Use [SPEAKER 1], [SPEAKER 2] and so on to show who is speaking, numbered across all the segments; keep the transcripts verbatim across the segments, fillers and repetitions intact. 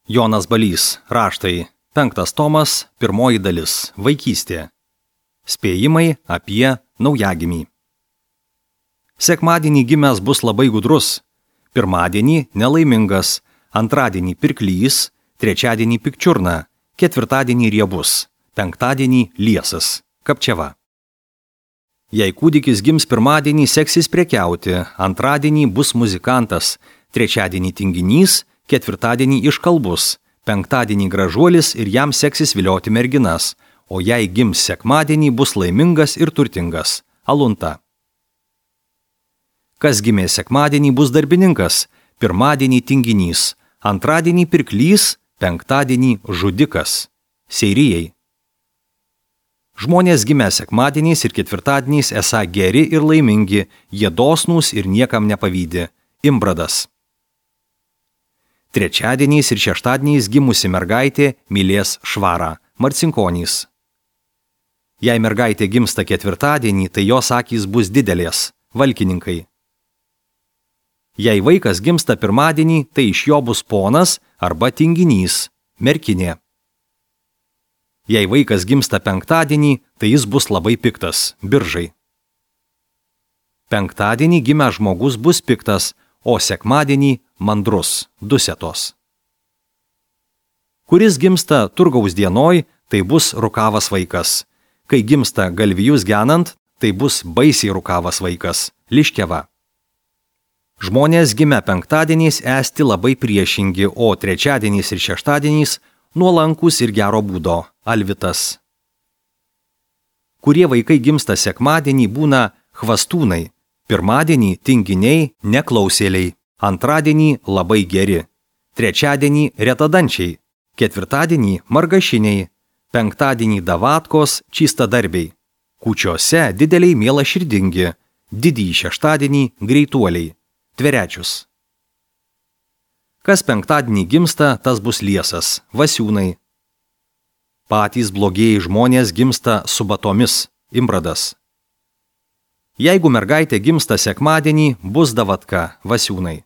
[SPEAKER 1] Jonas Balys, raštai, penktas tomas, pirmoji dalis, vaikystė. Spėjimai apie naujagimį. Sekmadienį gimęs bus labai gudrus, pirmadienį nelaimingas, antradienį pirklys, trečiadienį pikčiurna, ketvirtadienį riebus, penktadienį liesas, kapčiava. Jei kūdikis gims pirmadienį, seksis prekiauti, antradienį bus muzikantas, trečiadienį tinginys, ketvirtadienį iškalbus, penktadienį gražuolis ir jam seksis vilioti merginas, o jei gims sekmadienį, bus laimingas ir turtingas. Alunta. Kas gimė sekmadienį, bus darbininkas, pirmadienį tinginys, antradienį pirklys, penktadienį žudikas. Seirijai. Žmonės gimę sekmadieniais ir ketvirtadieniais esą geri ir laimingi, jie dosnūs ir niekam nepavydi. Imbradas. Trečiadieniais ir šeštadieniais gimusi mergaitė mylės švarą. Marcinkonys. Jei mergaitė gimsta ketvirtadienį, tai jos akys bus didelės. Valkininkai. Jei vaikas gimsta pirmadienį, tai iš jo bus ponas arba tinginys. Merkinė. Jei vaikas gimsta penktadienį, tai jis bus labai piktas. Biržai. Penktadienį gimęs žmogus bus piktas, o sekmadienį mandrus. Dusetos. Kuris gimsta turgaus dienoj, tai bus rukavas vaikas. Kai gimsta galvijus genant, tai bus baisiai rukavas vaikas. Liškeva. Žmonės gimę penktadieniais esti labai priešingi, o trečiadieniais ir šeštadieniais nuolankus ir gero būdo. Alvitas. Kurie vaikai gimsta sekmadienį, būna hvastūnai, pirmadienį tinginiai, neklausėliai, antradienį labai geri, trečiadienį retadančiai, ketvirtadienį margašiniai, penktadienį davatkos čystadarbiai, kūčiose dideliai mielaširdingi, didįjį šeštadienį greituoliai, tverečius. Kas penktadienį gimsta, tas bus liesas, vasiūnai. Patys blogieji žmonės gimsta su batomis. Imbradas. Jeigu mergaitė gimsta sekmadienį, bus davatka. Vasiūnai.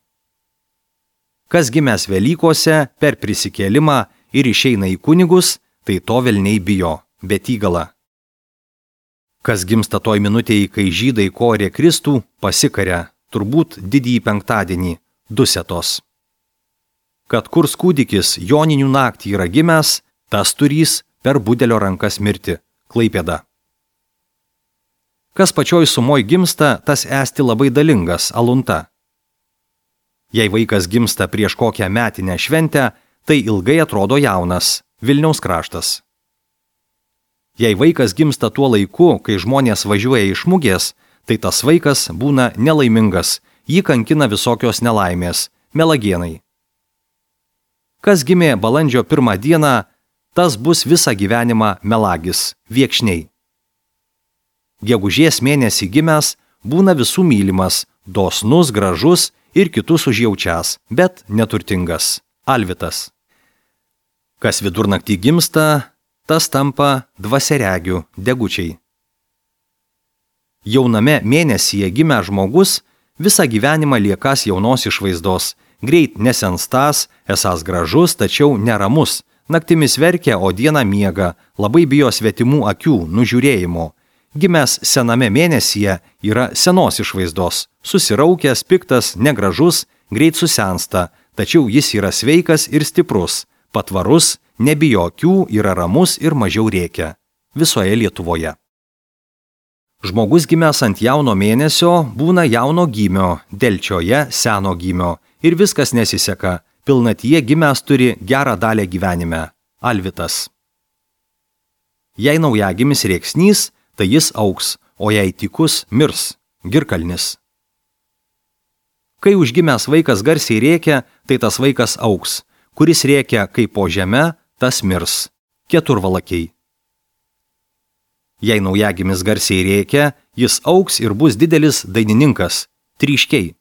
[SPEAKER 1] Kas gimęs Velykose per prisikėlimą ir išeina į kunigus, tai to velniai bijo. Betygala. Kas gimsta toj minutėje, kai žydai korė Kristų, pasikaria, turbūt didįjį penktadienį. Dusetos. Kad kurs kūdikis joninių naktį yra gimęs, tas turys per budelio rankas mirti. Klaipėda. Kas pačioj sumoj gimsta, tas esti labai dalingas. Alunta. Jei vaikas gimsta prieš kokią metinę šventę, tai ilgai atrodo jaunas. Vilniaus kraštas. Jei vaikas gimsta tuo laiku, kai žmonės važiuoja iš mugės, tai tas vaikas būna nelaimingas, jį kankina visokios nelaimės. Melagienai. Kas gimė balandžio pirmą dieną, tas bus visą gyvenimą melagis. Viekšniai. Gegužės mėnesį gimęs būna visų mylimas, dosnus, gražus ir kitus užjaučias, bet neturtingas. Alvitas. Kas vidurnaktį gimsta, tas tampa dvasiaregių. Degučiai. Jauname mėnesyje gimęs žmogus visą gyvenimą liekas jaunos išvaizdos, greit nesenstas, esąs gražus, tačiau neramus, naktimis verkia, o dieną miega, labai bijo svetimų akių, nužiūrėjimo. Gimęs sename mėnesyje yra senos išvaizdos, susiraukęs, piktas, negražus, greit susensta, tačiau jis yra sveikas ir stiprus, patvarus, nebijo akių, yra ramus ir mažiau rėkia. Visoje Lietuvoje. Žmogus gimęs ant jauno mėnesio būna jauno gymio, delčioje seno gymio ir viskas nesiseka, pilnatyje gimęs turi gerą dalę gyvenime. Alvitas. Jei naujagimis rėksnys, tai jis auks, o jei tykus mirs. Girkalnis. Kai užgimęs vaikas garsiai rėkia, tai tas vaikas auks, kuris rėkia kaip po žeme, tas mirs. Keturvalakiai. Jei naujagimis garsiai rėkia, jis auks ir bus didelis dainininkas. Tryškiai.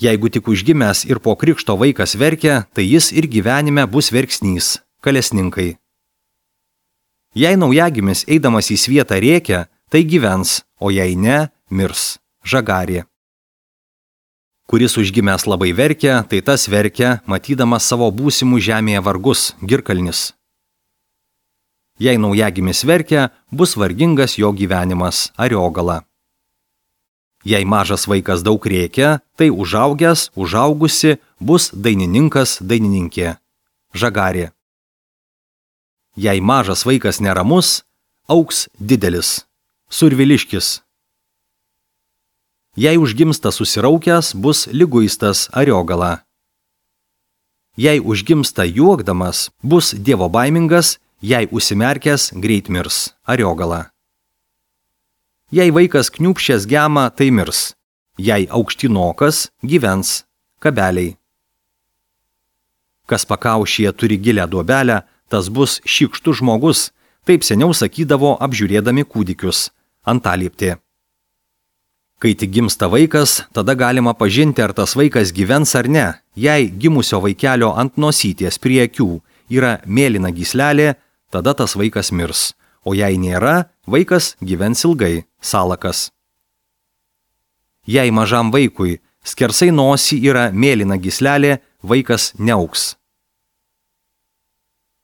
[SPEAKER 1] Jeigu tik užgimęs ir po krikšto vaikas verkia, tai jis ir gyvenime bus verksnys. Kalesninkai. Jei naujagimis eidamas į svietą rėkia, tai gyvens, o jei ne, mirs. Žagarė. Kuris užgimęs labai verkia, tai tas verkia, matydamas savo būsimų žemėje vargus, girkalnis. Jei naujagimis verkia, bus vargingas jo gyvenimas, ariogala. Jei mažas vaikas daug rėkia, tai užaugęs, užaugusi bus dainininkas, dainininkė, žagarė. Jei mažas vaikas neramus, augs didelis, surviliškis. Jei užgimsta susiraukęs, bus liguistas, ariogala. Jei užgimsta juokdamas, bus dievobaimingas, jei užsimerkęs, greit mirs, ariogala. Jei vaikas kniūpščias gema, tai mirs, jei aukštinokas, gyvens, kabeliai. Kas pakaušyje turi gilią duobelę, tas bus šykštus žmogus, taip seniau sakydavo apžiūrėdami kūdikius, antalieptė. Kai tik gimsta vaikas, tada galima pažinti, ar tas vaikas gyvens ar ne, jei gimusio vaikelio ant nosytės prie akių yra mėlyna gyslelė, tada tas vaikas mirs, o jei nėra, vaikas gyvens ilgai, salakas. Jei mažam vaikui skersai nosį yra mėlyna gyslelė, vaikas neaugs.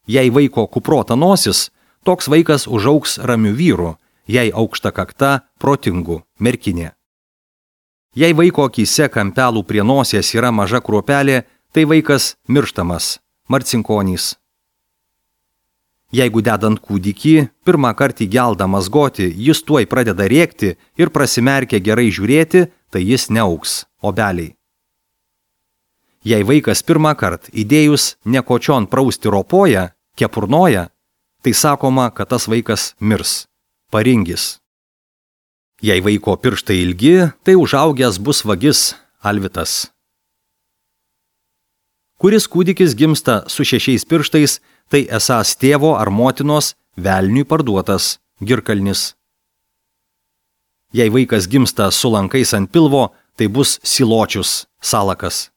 [SPEAKER 1] Jei vaiko kuprota nosis, toks vaikas užaugs ramiu vyru, jei aukšta kakta, protingu, merkinė. Jei vaiko akyse kampelų prie nosies yra maža kruopelė, tai vaikas mirštamas, marcinkonys. Jeigu dedant kūdikį, pirmą kartą įgeldamas goti, jis tuoj pradeda rėkti ir prasimerkia gerai žiūrėti, tai jis neaugs, obeliai. Jei vaikas pirmą kartą įdėjus nekočion prausti ropoja, kepurnoja, tai sakoma, kad tas vaikas mirs, paringis. Jei vaiko pirštai ilgi, tai užaugęs bus vagis, alvitas. Kuris kūdikis gimsta su šešiais pirštais, tai esąs tėvo ar motinos velniui parduotas, girkalnis. Jei vaikas gimsta su lankais ant pilvo, tai bus siločius, salakas.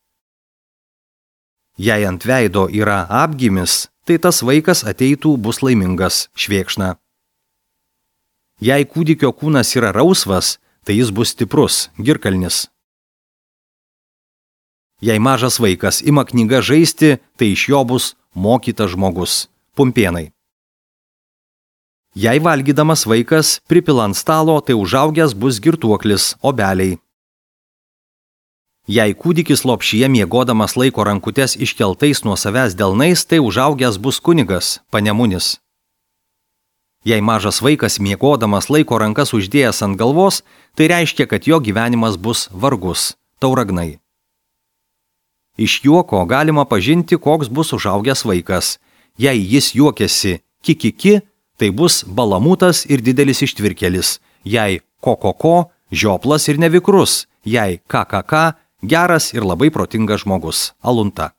[SPEAKER 1] Jei ant veido yra apgimis, tai tas vaikas ateitų bus laimingas, švėkšna. Jei kūdikio kūnas yra rausvas, tai jis bus stiprus, girkalnis. Jei mažas vaikas ima knygą žaisti, tai iš jo bus mokytas žmogus, pumpėnai. Jei valgydamas vaikas pripila ant stalo, tai užaugęs bus girtuoklis, obeliai. Jei kūdikis lopšyje miegodamas laiko rankutes iškeltais nuo savęs delnais, tai užaugęs bus kunigas, panemunis. Jei mažas vaikas miegodamas laiko rankas uždėjęs ant galvos, tai reiškia, kad jo gyvenimas bus vargus, tauragnai. Iš juoko galima pažinti, koks bus užaugęs vaikas. Jei jis juokiasi kikiki, tai bus balamutas ir didelis ištvirkelis. Jei kokoko, žioplas ir nevikrus. Jei kakaka, geras ir labai protingas žmogus, alunta.